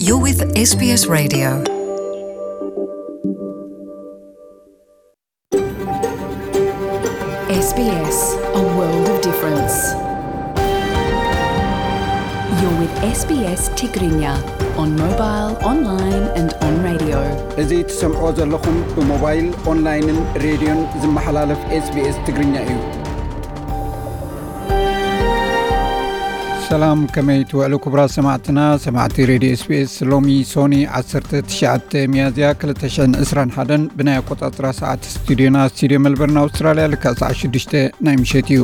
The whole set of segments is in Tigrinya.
You're with S B S Radio. S B S, a world of difference. You're with S B S Tigrinya on mobile, online and on radio. እዚ ትሰምዖ ዘለኹም ብሞባይል፣ ኦንላይንን ሬድዮን ዝመሓላለፍ S B S ትግርኛ እዩ። ሰላም፣ ከመይ ትውዕሉ ክቡራት ሰማዕትና? ሰማዕቲ ሬድዮ S B S፣ ሎሚ ሶኒ ዓሰርተ ትሽዓተ ሚያዝያ ክልተ ሽሕን ዕስራን ሓደን ብናይ ኣቆጻጽራ ሰዓት ስቱዲዮና፣ ስቱዲዮ ሜልበርን ኣውስትራልያ፣ ልክዕ ሰዓት ሽዱሽተ ናይ ምሸት እዩ።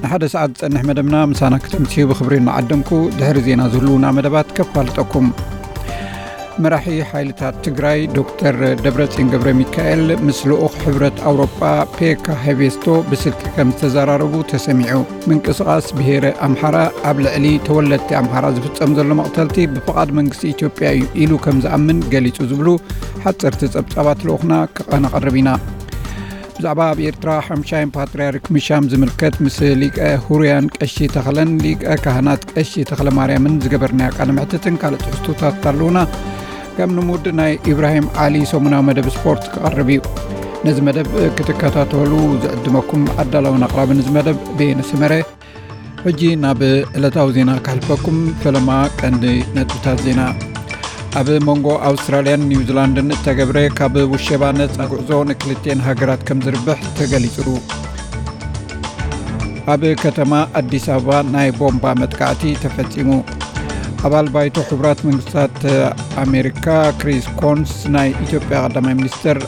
ንሓደ ሰዓት ዝጸንሕ መደብና ምሳና ክተምስዩ ብኽብሪ እናዓደምኩ፣ ድሕሪ ዜና ዝህልዉና መደባት ከፋልጠኩም። መራሒ ሓይልታት ትግራይ ዶክተር ደብረጽዮን ገብረ ሚካኤል ምስ ልኡኽ ሕብረት ኣውሮጳ ፔካ ሄቬስቶ ብስልኪ ከም ዝተዘራረቡ ተሰሚዑ። ምንቅስቓስ ብሄረ ኣምሓራ ኣብ ልዕሊ ተወለድቲ ኣምሓራ ዝፍጸም ዘሎ መቕተልቲ ብፍቓድ መንግስቲ ኢትዮጵያ እዩ ኢሉ ከም ዝኣምን ገሊጹ ዝብሉ ሓጸርቲ ጸብጻባት ልኡኽና ከነቕርብ ኢና። ብዛዕባ ኣብ ኤርትራ ሓምሻይን ፓትርያርክ ምሻም ዝምልከት ምስ ሊቀ ሁሩያን ቀሺ ተኽለን ሊቀ ካህናት ቀሺ ተኽለ ማርያምን ዝገበርናዮ ቃለ መሕትትን ካልእ ትሕዝቶታት ኣለዉና። ከም ልሙድ ናይ ኢብራሂም ዓሊ ሰሙናዊ መደብ ስፖርት ክቐርብ እዩ። ነዚ መደብ ክትከታተሉ ዝዕድመኩም ኣዳላውን ኣቕራብን እዚ መደብ በየነ ሰመረ። ሕጂ ናብ ዕለታዊ ዜና ከሕልፈኩም። ፈለማ ቀንዲ ነጥብታት ዜና። ኣብ መንጎ ኣውስትራልያን ኒውዚላንድን እተገብረ ካብ ውሸባ ነጻ ጉዕዞ ንክልቴን ሃገራት ከም ዝርብሕ ተገሊጹ። ኣብ ከተማ ኣዲስ ኣበባ ናይ ቦምባ መጥቃዕቲ ተፈጺሙ። ኣባል ባይቶ ሕቡራት መንግስታት ኣሜሪካ ክሪስ ኮንስ ናይ ኢትዮጵያ ቀዳማይ ሚኒስትር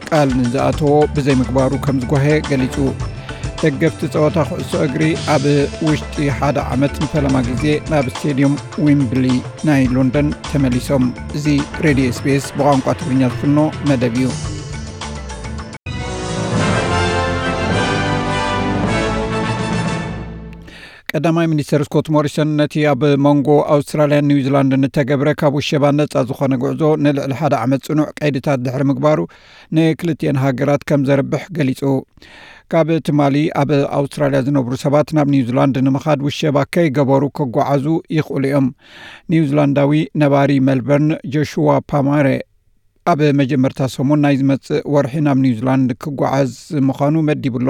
ቃል ንዝኣተዎ ብዘይምግባሩ ከም ዝጓሄ ገሊጹ። ደገፍቲ ጸወታ ኩዕሶ እግሪ ኣብ ውሽጢ ሓደ ዓመት ንፈለማ ግዜ ናብ ስቴድዮም ዊምብሊ ናይ ሎንደን ተመሊሶም። እዚ ሬድዮ S B S ብቋንቋ ትግርኛ ዝፍኖ መደብ እዩ። ቀዳማይ ሚኒስተር ስኮት ሞሪሰን ነቲ ኣብ መንጎ ኣውስትራልያን ኒውዚላንድን እተገብረ ካብ ውሸባ ነጻ ዝኾነ ጉዕዞ ንልዕሊ ሓደ ዓመት ጽኑዕ ቀይድታት ድሕሪ ምግባሩ ንክልቲኤን ሃገራት ከም ዘርብሕ ገሊጹ። ካብ ትማሊ ኣብ ኣውስትራልያ ዝነብሩ ሰባት ናብ ኒውዚላንድ ንምኻድ ውሸባ ከይገበሩ ክጓዓዙ ይኽእሉ እዮም። ኒውዚላንዳዊ ነባሪ ሜልበርን ጆሽዋ ፓማረ ኣብ መጀመርታ ሰሙን ናይ ዝመጽእ ወርሒ ናብ ኒውዚላንድ ክጓዓዝ ምዃኑ መዲቡ ኣሎ።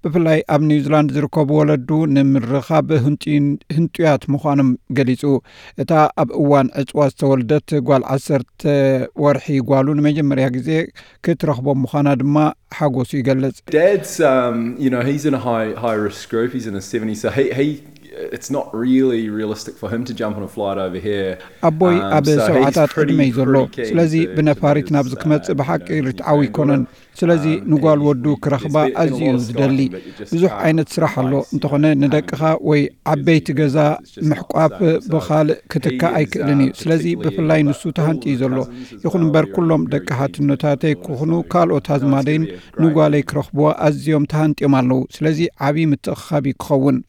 ብፍላይ ኣብ ኒውዚላንድ ዝርከቡ ወለዱ ንምርኻብ ህንጡይን-፣ ህንጡያት ምዃኖም ገሊጹ። እታ ኣብ እዋን ዕጽዋ ዝተወልደት ጓል ዓሰርተ ወርሒ ጓሉ ንመጀመርያ ግዜ ክትረኽቦ ምዃና ድማ ሓጎሱ ይገልጽ። Dad's, um, you know, he's in a high, high risk group. He's in his seventies, so he, he, it's not really realistic for him to jump on a flight over here. ኣቦይ ኣብ ሰብዓታት ዕድመ እዩ ዘሎ። ስለዚ ብነፋሪት ናብዚ ክመጽእ ብሓቂ ርትዓዊ ኣይኮነን። ስለዚ ንጓል ወዱ ክረኽባ ኣዝዩ እዩ ዝደሊ። ብዙሕ ዓይነት ስራሕ ኣሎ። እንተኾነ ንደቅኻ ወይ ዓበይቲ ገዛ ምሕቋፍ ብኻልእ ክትካእ ኣይክእልን እዩ። ስለዚ ብፍላይ ንሱ ተሃንጢ እዩ ዘሎ። ይኹን እምበር ኩሎም ደቂ ሓትኖታተይ ክኹኑ ካልኦት ኣዝማደይን ንጓለይ ክረኽብዋ ኣዝዮም ተሃንጢዮም ኣለዉ። ስለዚ ዓብዪ ምትእኽኻብ እዩ ክኸውን።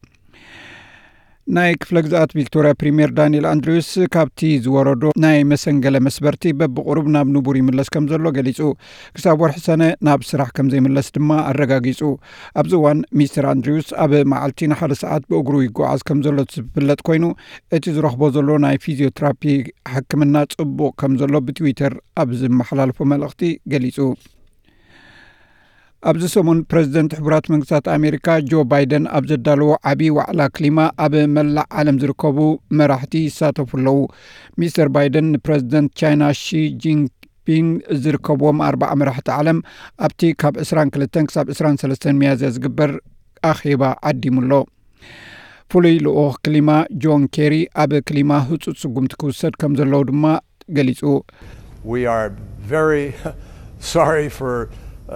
ናይ ክፍለ ግዝኣት ቪክቶርያ ፕሪምየር ዳንኤል ኣንድሪውስ ካብቲ ዝወረዶ ናይ መሰንገለ መስበርቲ በብቑሩብ ናብ ንቡር ይምለስ ከም ዘሎ ገሊጹ። ክሳብ ወርሒ ሰነ ናብ ስራሕ ከም ዘይምለስ ድማ ኣረጋጊጹ። ኣብዚ እዋን ሚስተር ኣንድሪውስ ኣብ መዓልቲ ንሓደ ሰዓት ብእግሩ ይጓዓዝ ከም ዘሎ ዝፍለጥ ኮይኑ፣ እቲ ዝረኽቦ ዘሎ ናይ ፊዚዮትራፒ ሕክምና ጽቡቕ ከም ዘሎ ብትዊተር ኣብ ዝመሓላለፎ መልእኽቲ ገሊጹ። ኣብዚ ሰሙን ፕረዚደንት ሕቡራት መንግስታት ኣሜሪካ ጆ ባይደን ኣብ ዘዳለዎ ዓብዪ ዋዕላ ክሊማ ኣብ መላእ ዓለም ዝርከቡ መራሕቲ ይሳተፉ ኣለዉ። ሚስተር ባይደን ንፕረዚደንት ቻይና ሺ ጂንፒንግ ዝርከብዎም ኣርባዓ መራሕቲ ዓለም ኣብቲ ካብ ዕስራን ክልተን ክሳብ ዕስራን ሰለስተን ሚያዝያ ዝግበር ኣኼባ ዓዲሙ ኣሎ። ፍሉይ ልኡኽ ክሊማ ጆን ኬሪ ኣብ ክሊማ ህጹጽ ስጉምቲ ክውሰድ ከም ዘለዎ ድማ ገሊጹ። We are very sorry for,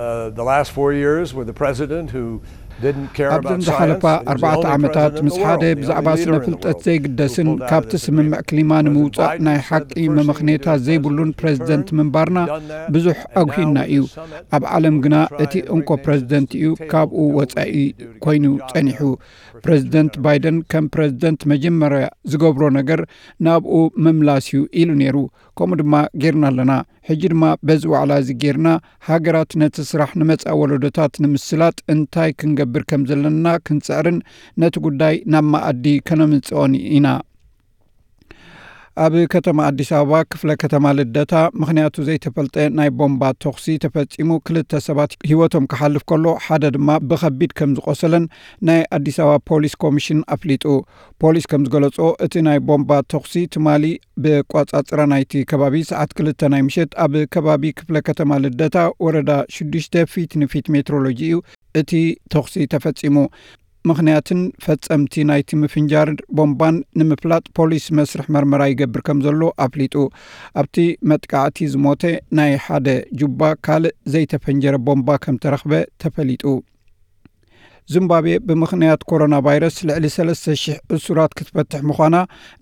uh, the last four years with the president who didn't care about science. ኣብዘን ዝሓለፋ ኣርባዕተ ዓመታት ምስ ሓደ ብዛዕባ ስነ ፍልጠት ዘይግደስን ካብቲ ስምምዕ ክሊማ ንምውጻእ ናይ ሓቂ መመኽነይታ ዘይብሉን ፕረዚደንት ምንባርና ብዙሕ ኣጉሂና እዩ። ኣብ ዓለም ግና እቲ እንኮ ፕረዚደንት እዩ ካብኡ ወጻኢ ኮይኑ ጸኒሑ። ፕረዚደንት ባይደን ከም ፕረዚደንት መጀመርያ ዝገብሮ ነገር ናብኡ ምምላስ እዩ ኢሉ ነይሩ። ከምኡ ድማ ጌርና ኣለና። ሕጂ ድማ በዚ ዋዕላ እዚ ጌርና ሃገራት ነቲ ስራሕ ንመጻኢ ወለዶታት ንምስላጥ እንታይ ክንገብር ከም ዘለና ክንጽዕርን ነቲ ጉዳይ ናብ መኣዲ ከነምጽኦን ኢና። ኣብ ከተማ ኣዲስ ኣበባ ክፍለ ከተማ ልደታ ምኽንያቱ ዘይተፈልጠ ናይ ቦምባ ተኹሲ ተፈጺሙ፣ ክልተ ሰባት ህይወቶም ክሓልፍ ከሎ፣ ሓደ ድማ ብኸቢድ ከም ዝቆሰለን ናይ ኣዲስ ኣበባ ፖሊስ ኮሚሽን ኣፍሊጡ። ፖሊስ ከም ዝገለጾ፣ እቲ ናይ ቦምባ ተኹሲ ትማሊ ብቋጻጽራ ናይቲ ከባቢ ሰዓት ክልተ ናይ ምሸት ኣብ ከባቢ ክፍለ ከተማ ልደታ ወረዳ ሽዱሽተ ፊት ንፊት ሜትሮሎጂ እዩ እቲ ተኹሲ ተፈጺሙ። ምኽንያትን ፈጸምቲ ናይቲ ምፍንጃር ቦምባን ንምፍላጥ ፖሊስ መስርሕ መርመራ ይገብር ከም ዘሎ ኣፍሊጡ። ኣብቲ መጥቃዕቲ ዝሞተ ናይ ሓደ ጁባ ካልእ ዘይተፈንጀረ ቦምባ ከም ተረኽበ ተፈሊጡ። ዚምባብዌ ብምኽንያት ኮሮና ቫይረስ ልዕሊ ሰለስተ ሽሕ እሱራት ክትፈትሕ ምዃና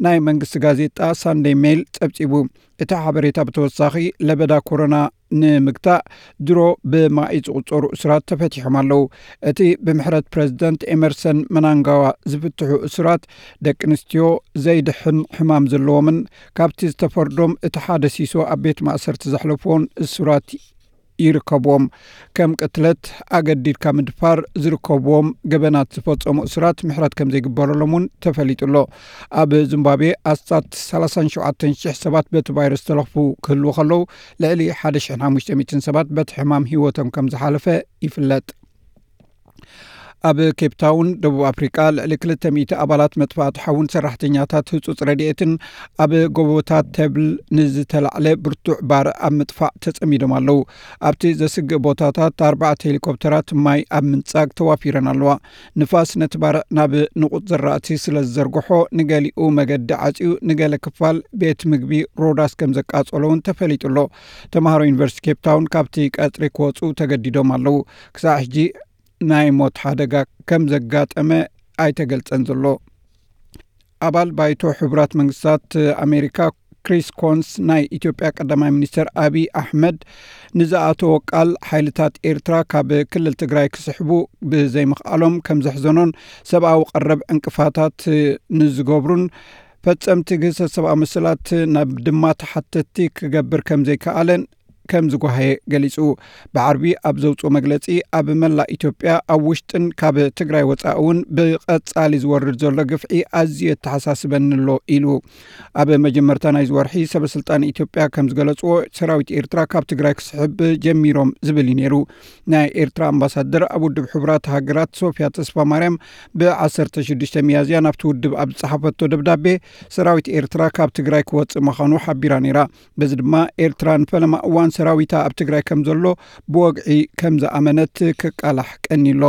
ናይ መንግስቲ ጋዜጣ ሳንደይ ሜይል ጸብጺቡ። እቲ ሓበሬታ ብተወሳኺ ለበዳ ኮሮና ንምግታእ ድሮ ብማኢ ዝቑጸሩ እሱራት ተፈቲሖም ኣለዉ። እቲ ብምሕረት ፕረዚደንት ኤመርሰን መናንጋዋ ዝፍትሑ እሱራት ደቂ ኣንስትዮ፣ ዘይድሕን ሕማም ዘለዎምን ካብቲ ዝተፈርዶም እቲ ሓደ ሲሶ ኣብ ቤት ማእሰርቲ ዘሕለፍዎን እሱራት ይርከብዎም። ከም ቅትለት፣ ኣገዲድካ ምድፋር ዝርከብዎም ገበናት ዝፈጸሙ እሱራት ምሕረት ከም ዘይግበረሎም እውን ተፈሊጡ ኣሎ። ኣብ ዚምባብዌ ኣስታት ሰላሳን ሸውዓተን ሽሕ ሰባት በቲ ቫይረስ ተለኽፉ ክህልዉ ከለዉ፣ ልዕሊ ሓደ ሽሕን ሓሙሽተ ሚእትን ሰባት በቲ ሕማም ህይወቶም ከም ዝሓለፈ ይፍለጥ። ኣብ ኬፕ ታውን ደቡብ ኣፍሪቃ ልዕሊ ክልተ ሚእቲ ኣባላት መጥፋእቲ ሓውን ሰራሕተኛታት ህጹጽ ረድኤትን ኣብ ጎቦታት ተብል ንዝተላዕለ ብርቱዕ ባርዕ ኣብ ምጥፋእ ተጸሚዶም ኣለዉ። ኣብቲ ዘስግእ ቦታታት ኣርባዕተ ሄሊኮፕተራት ማይ ኣብ ምንጻግ ተዋፊረን ኣለዋ። ንፋስ ነቲ ባርዕ ናብ ንቑጽ ዘራእቲ ስለ ዝዘርግሖ፣ ንገሊኡ መገዲ ዓጽዩ፣ ንገለ ክፋል ቤት ምግቢ ሮዳስ ከም ዘቃጸሎ እውን ተፈሊጡ ኣሎ። ተምሃሮ ዩኒቨርሲቲ ኬፕ ታውን ካብቲ ቀጽሪ ክወጹ ተገዲዶም ኣለዉ። ክሳዕ ሕጂ ናይ ሞት ሓደጋ ከም ዘጋጠመ ኣይተገልጸን ዘሎ። ኣባል ባይቶ ሕቡራት መንግስታት ኣሜሪካ ክሪስ ኮንስ፣ ናይ ኢትዮጵያ ቀዳማይ ሚኒስትር ኣቢይ ኣሕመድ ንዝኣተዎ ቃል፣ ሓይልታት ኤርትራ ካብ ክልል ትግራይ ክስሕቡ ብዘይምኽኣሎም ከም ዘሕዘኖን፣ ሰብኣዊ ቀረብ ዕንቅፋታት ንዝገብሩን ፈጸምቲ ግህሰት ሰብኣዊ መሰላት ናብ ድማ ተሓተትቲ ክገብር ከም ዘይከኣለን ከም ዝጓሃየ ገሊጹ። ብዓርቢ ኣብ ዘውጽኦ መግለጺ፣ ኣብ መላእ ኢትዮጵያ፣ ኣብ ውሽጥን ካብ ትግራይ ወጻኢ እውን ብቐጻሊ ዝወርድ ዘሎ ግፍዒ ኣዝዩ የተሓሳስበኒ ኣሎ ኢሉ። ኣብ መጀመርታ ናይዚ ወርሒ ሰበ ስልጣን ኢትዮጵያ ከም ዝገለጽዎ፣ ሰራዊት ኤርትራ ካብ ትግራይ ክስሕብ ጀሚሮም ዝብል እዩ ነይሩ። ናይ ኤርትራ ኣምባሳደር ኣብ ውድብ ሕቡራት ሃገራት ሶፊያ ተስፋ ማርያም ብ ዓሰርተ ሽዱሽተ ሚያዝያ ናብቲ ውድብ ኣብ ዝጸሓፈቶ ደብዳቤ፣ ሰራዊት ኤርትራ ካብ ትግራይ ክወጽእ ምዃኑ ሓቢራ ነይራ። በዚ ድማ ኤርትራ ንፈለማ እዋን ሰራዊታ ኣብ ትግራይ ከም ዘሎ ብወግዒ ከም ዝኣመነት ክቃላሕ ቀኒሎ።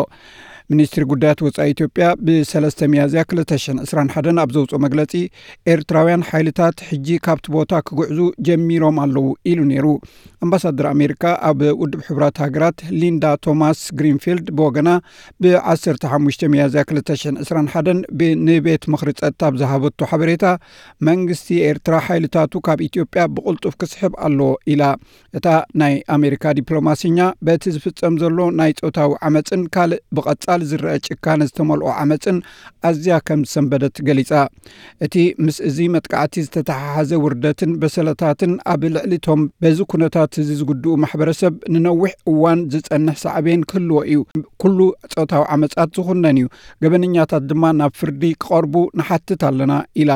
ሚኒስትሪ ጉዳያት ወጻኢ ኢትዮጵያ ብሰለስተ ሚያዝያ ክልተ ሽሕን ዕስራን ሓደን ኣብ ዘውጽኦ መግለጺ፣ ኤርትራውያን ሓይልታት ሕጂ ካብቲ ቦታ ክግዕዙ ጀሚሮም ኣለዉ ኢሉ ነይሩ። ኣምባሳደር ኣሜሪካ ኣብ ውድብ ሕቡራት ሃገራት ሊንዳ ቶማስ ግሪንፊልድ ብወገና፣ ብ ዓሰርተ ሓሙሽተ ሚያዝያ ክልተ ሽሕን ዕስራን ሓደን ብ-፣ ንቤት ምኽሪ ጸጥታ ኣብ ዝሃበቶ ሓበሬታ፣ መንግስቲ ኤርትራ ሓይልታቱ ካብ ኢትዮጵያ ብቕልጡፍ ክስሕብ ኣለዎ ኢላ። እታ ናይ ኣሜሪካ ዲፕሎማሲኛ፣ በቲ ዝፍጸም ዘሎ ናይ ጾታዊ ዓመጽን ካልእ ብቐጻሊ ዝረአ ጭካነ ዝተመልኦ ዓመጽን ኣዝያ ከም ዝሰንበደት ገሊጻ። እቲ ምስ እዚ መጥቃዕቲ ዝተተሓሓዘ ውርደትን በሰለታትን ኣብ ልዕሊ እቶም በዚ ኩነታት እዚ ዝጉድኡ ማሕበረሰብ ንነዊሕ እዋን ዝጸንሕ ሳዕቤን ክህልዎ እዩ። ኩሉ ጾታዊ ዓመጻት ዝኹነን እዩ። ገበነኛታት ድማ ናብ ፍርዲ ክቐርቡ ንሓትት ኣለና ኢላ።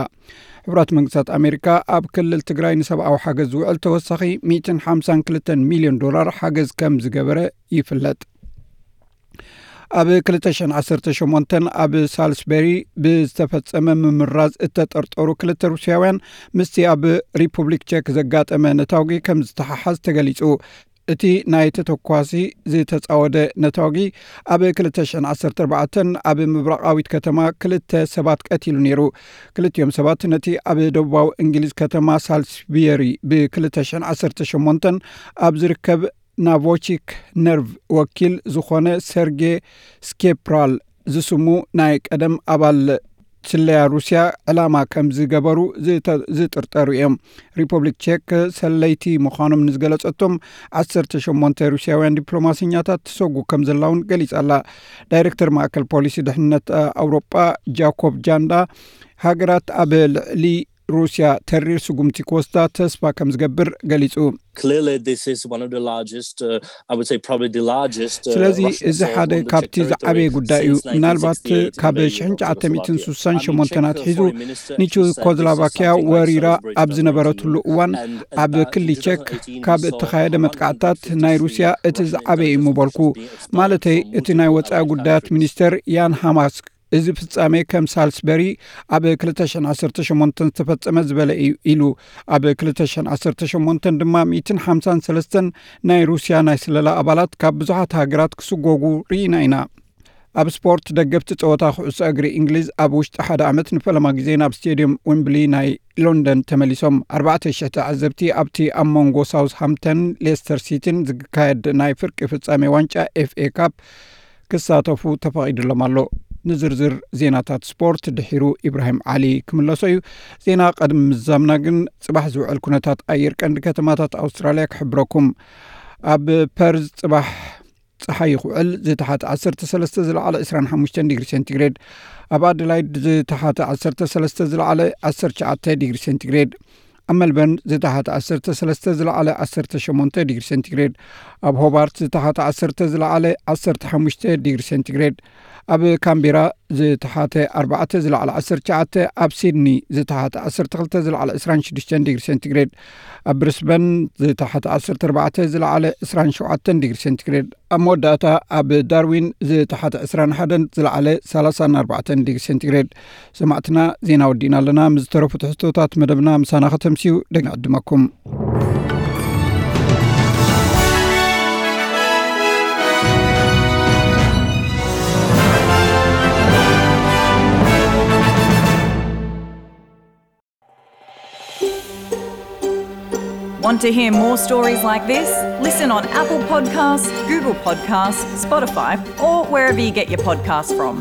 ሕቡራት መንግስታት ኣሜሪካ ኣብ ክልል ትግራይ ንሰብኣዊ ሓገዝ ዝውዕል ተወሳኺ ሚእትን ሓምሳን ክልተን ሚልዮን ዶላር ሓገዝ ከም ዝገበረ ይፍለጥ። ኣብ ክልተ ሽሕን ዓሰርተ ሸሞንተን ኣብ ሳልስበሪ ብዝተፈጸመ ምምራዝ እተጠርጠሩ ክልተ ሩስያውያን ምስቲ ኣብ ሪፑብሊክ ቸክ ዘጋጠመ ነታጒ ከም ዝተሓሓዝ ተገሊጹ። እቲ ናይ ተተኳሲ ዝተጻወደ ነታጒ ኣብ ክልተ ሽሕን ዓሰርተ ኣርባዕተን ኣብ ምብራቓዊት ከተማ ክልተ ሰባት ቀቲሉ ነይሩ። ክልቲኦም ሰባት ነቲ ኣብ ደቡባዊ እንግሊዝ ከተማ ሳልስበሪ ብ ክልተ ሽሕን ዓሰርተ ሸሞንተን ኣብ ዝርከብ ናቮቺክ ነርቭ ወኪል ዝኾነ ሰርጌ ስኬፕራል ዝስሙ ናይ ቀደም ኣባል ስለያ ሩስያ ዕላማ ከም ዝገበሩ ዝተ-፣ ዝጥርጠሩ እዮም። ሪፐብሊክ ቼክ ሰለይቲ ምዃኖም ንዝገለጸቶም ዓሰርተ ሸሞንተ ሩስያውያን ዲፕሎማሰኛታት ትሰጉ ከም ዘላ እውን ገሊጻ ኣላ። ዳይሬክተር ማእከል ፖሊሲ ድሕነት ኣውሮጳ ጃኮብ ጃንዳ፣ ሃገራት ኣብ ልዕሊ ሩስያ ተሪር ስጉምቲ ክወስዳ ተስፋ ከም ዝገብር ገሊጹ። Clearly, this is one of the largest, uh, I would say, probably the largest. Uh, ስለዚ Russian እዚ assault ሓደ on the ካብቲ Czech territory, ዝዓበየ but ጉዳይ እዩ። since ምናልባት nineteen sixty-eight in ካብ Invasion of ሽሕን ትሽዓተ ሚእትን Czechoslovakia. ሱሳን I mean, ሸሞንተን Czech ኣትሒዙ foreign minister actually said this is ንቼኮስሎቫኪያ something like ወሪራ Salisbury ኣብ Stone ዝነበረትሉ Wall, እዋን and ኣብ that in ክሊቸክ two thousand eighteen ካብ saw እተኻየደ one hundred መጥቃዕታት fifty-three ናይ ሩስያ እቲ Russian ዝዓበየ እዩ intelligence ምበልኩ officers being expelled ማለተይ from እቲ ናይ multiple ወፃኢ allied ጉዳያት countries. ሚኒስተር ያን ሃማስክ። እዚ ፍጻሜ ከም ሳልስበሪ ኣብ ክልተ ሽሕን ዓሰርተ ሸሞንተን ዝተፈጸመ ዝበለ እዩ ኢሉ። ኣብ ክልተ ሽሕን ዓሰርተ ሸሞንተን ድማ ሚእትን ሓምሳን ሰለስተን ናይ ሩስያ ናይ ስለላ ኣባላት ካብ ብዙሓት ሃገራት ክስጎጉ ርኢና ኢና። ኣብ ስፖርት፣ ደገፍቲ ጸወታ ኩዕሶ እግሪ እንግሊዝ ኣብ ውሽጢ ሓደ ዓመት ንፈለማ ግዜ ናብ ስቴድየም ዊምብሊ ናይ ሎንደን ተመሊሶም። ኣርባዕተ ሽሕ ተዓዘብቲ ኣብቲ ኣብ መንጎ ሳውዝሃምተን ሌስተር ሲቲን ዝካየድ ናይ ፍርቂ ፍጻሜ ዋንጫ ኤፍኤ ካፕ ክሳተፉ ተፈቒዱሎም ኣሎ። ንዝርዝር ዜናታት ስፖርት ድሒሩ ኢብራሂም ዓሊ ክምለሶ እዩ። ዜና ቀድሚ ምዛምና ግን ጽባሕ ዝውዕል ኩነታት ኣየር ቀንዲ ከተማታት ኣውስትራልያ ክሕብረኩም። ኣብ ፐርዝ ጽባሕ ጸሓይ ይኽውዕል፣ ዝተሓተ ዓሰርተ ሰለስተ ዝለዓለ ዕስራን ሓሙሽተን ዲግሪ ሴንቲግሬድ፣ ኣብ ኣደላይድ ዝተሓተ ዓሰርተ ሰለስተ ዝለዓለ ዓሰርተ ትሽዓተ ዲግሪ ሴንቲግሬድ፣ ኣብ መልበርን ዝተሓተ ዓሰርተ ሰለስተ ዝለዓለ ዓሰርተ ሸሞንተ ዲግሪ ሴንቲግሬድ፣ ኣብ ሆባርት ዝተሓተ ዓሰርተ ዝለዓለ ዓሰርተ ሓሙሽተ ዲግሪ ሴንቲግሬድ፣ ኣብ ካምቤራ ዝተሓተ ኣርባዕተ ዝለዓለ ዓሰርተ ትሽዓተ፣ ኣብ ሲድኒ ዝተሓተ ዓሰርተ ክልተ ዝለዓለ ዕስራን ሽዱሽተን ዲግሪ ሴንቲግሬድ፣ ኣብ ብሪስበን ዝተሓተ ዓሰርተ ኣርባዕተ ዝለዓለ ዕስራን ሸውዓተን ዲግሪ ሴንቲግሬድ፣ ኣብ መወዳእታ ኣብ ዳርዊን ዝተሓተ ዕስራን ሓደን ዝለዓለ ሰላሳን ኣርባዕተን ዲግሪ ሴንቲግሬድ። ሰማዕትና፣ ዜና ወዲእና ኣለና። ምስ ዝተረፉ ትሕዝቶታት መደብና ምሳና ከተምስዩ ደጊመ ዕድመኩም። Want to hear more stories like this? Listen on Apple Podcasts, Google Podcasts, Spotify, or wherever you get your podcasts from.